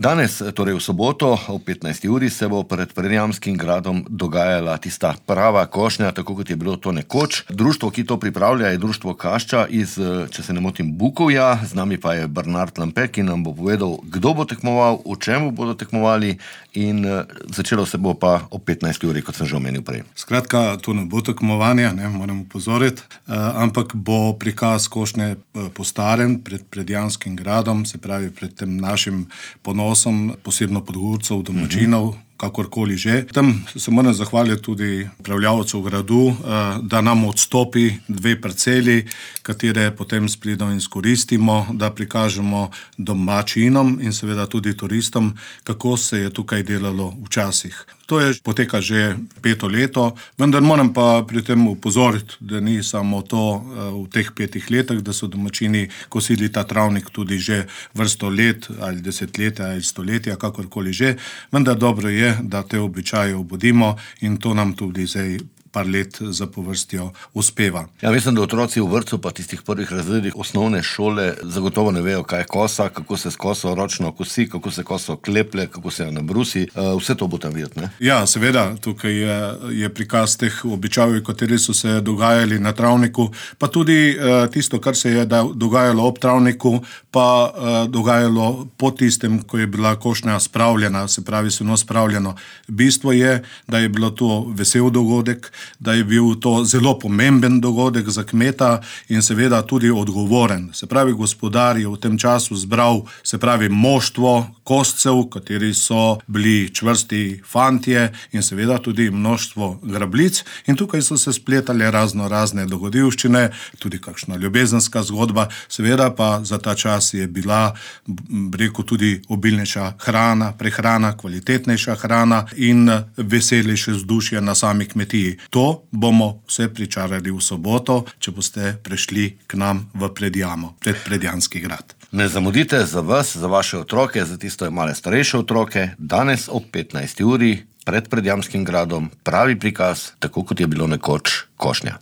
Danes, torej v soboto ob 15. uri, se bo pred Predjamskim gradom dogajala tista prava košnja, tako kot je bilo to nekoč. Društvo, ki to pripravlja, je društvo Kašča iz, če se ne motim, Bukovja. Z nami pa je Bernard Lampe, ki nam bo povedal, kdo bo tekmoval, v čemu bodo tekmovali in začelo se bo pa ob 15. uri, kot sem že omenil prej. Skratka, to ne bo tekmovanje, moram upozoriti, ampak bo prikaz košnje po starem pred Predjamskim gradom, se pravi pred tem našim ponosom, posebno podgorcev, domačinov, kakorkoli že. Tam se moram zahvaliti tudi upravljavcu gradu, da nam odstopi 2 parceli, katere potem s pridom izkoristimo, da prikažemo domačinom in seveda tudi turistom, kako se je tukaj delalo včasih. To je poteka že 5. leto, vendar moram pa pri tem upozoriti, da ni samo to v teh 5 letih, da so domačini kosili ta travnik tudi že vrsto let ali desetletja ali stoletja, kakorkoli že, vendar dobro je, da te običaje obudimo in to nam tudi zdaj par let zapovrstjo uspeva. Ja, mislim, da otroci v vrtcu pa tistih prvih razredih osnovne šole zagotovo ne vejo, kaj je kosa, kako se s koso ročno kosi, kako se koso kleple, kako se nabrusi. Vse to bo tam videti, ne? Ja, seveda, tukaj je prikaz teh običajev, kateri so se dogajali na travniku, pa tudi tisto, kar se je dogajalo ob travniku, pa dogajalo po tistem, ko je bila košnja spravljena, se pravi seno spravljeno. Bistvo je, da je bilo to vesel dogodek, da je bil to zelo pomemben dogodek za kmeta in seveda tudi odgovoren. Se pravi, gospodar je v tem času zbral, se pravi, moštvo koscev, kateri so bili čvrsti fantje in seveda tudi množstvo grablic in tukaj so se spletale razne dogodivščine, tudi kakšna ljubezenska zgodba, seveda pa za ta čas je bila, rekel, tudi obilnejša hrana, prehrana, kvalitetnejša hrana in veselejše vzdušje na sami kmetiji. To bomo vse pričarali v soboto, če boste prišli k nam v Predjamo, pred Predjamski grad. Ne zamudite za vas, za vaše otroke, za tisto male starejše otroke, danes ob 15. uri pred Predjamskim gradom pravi prikaz, tako kot je bilo nekoč košnja.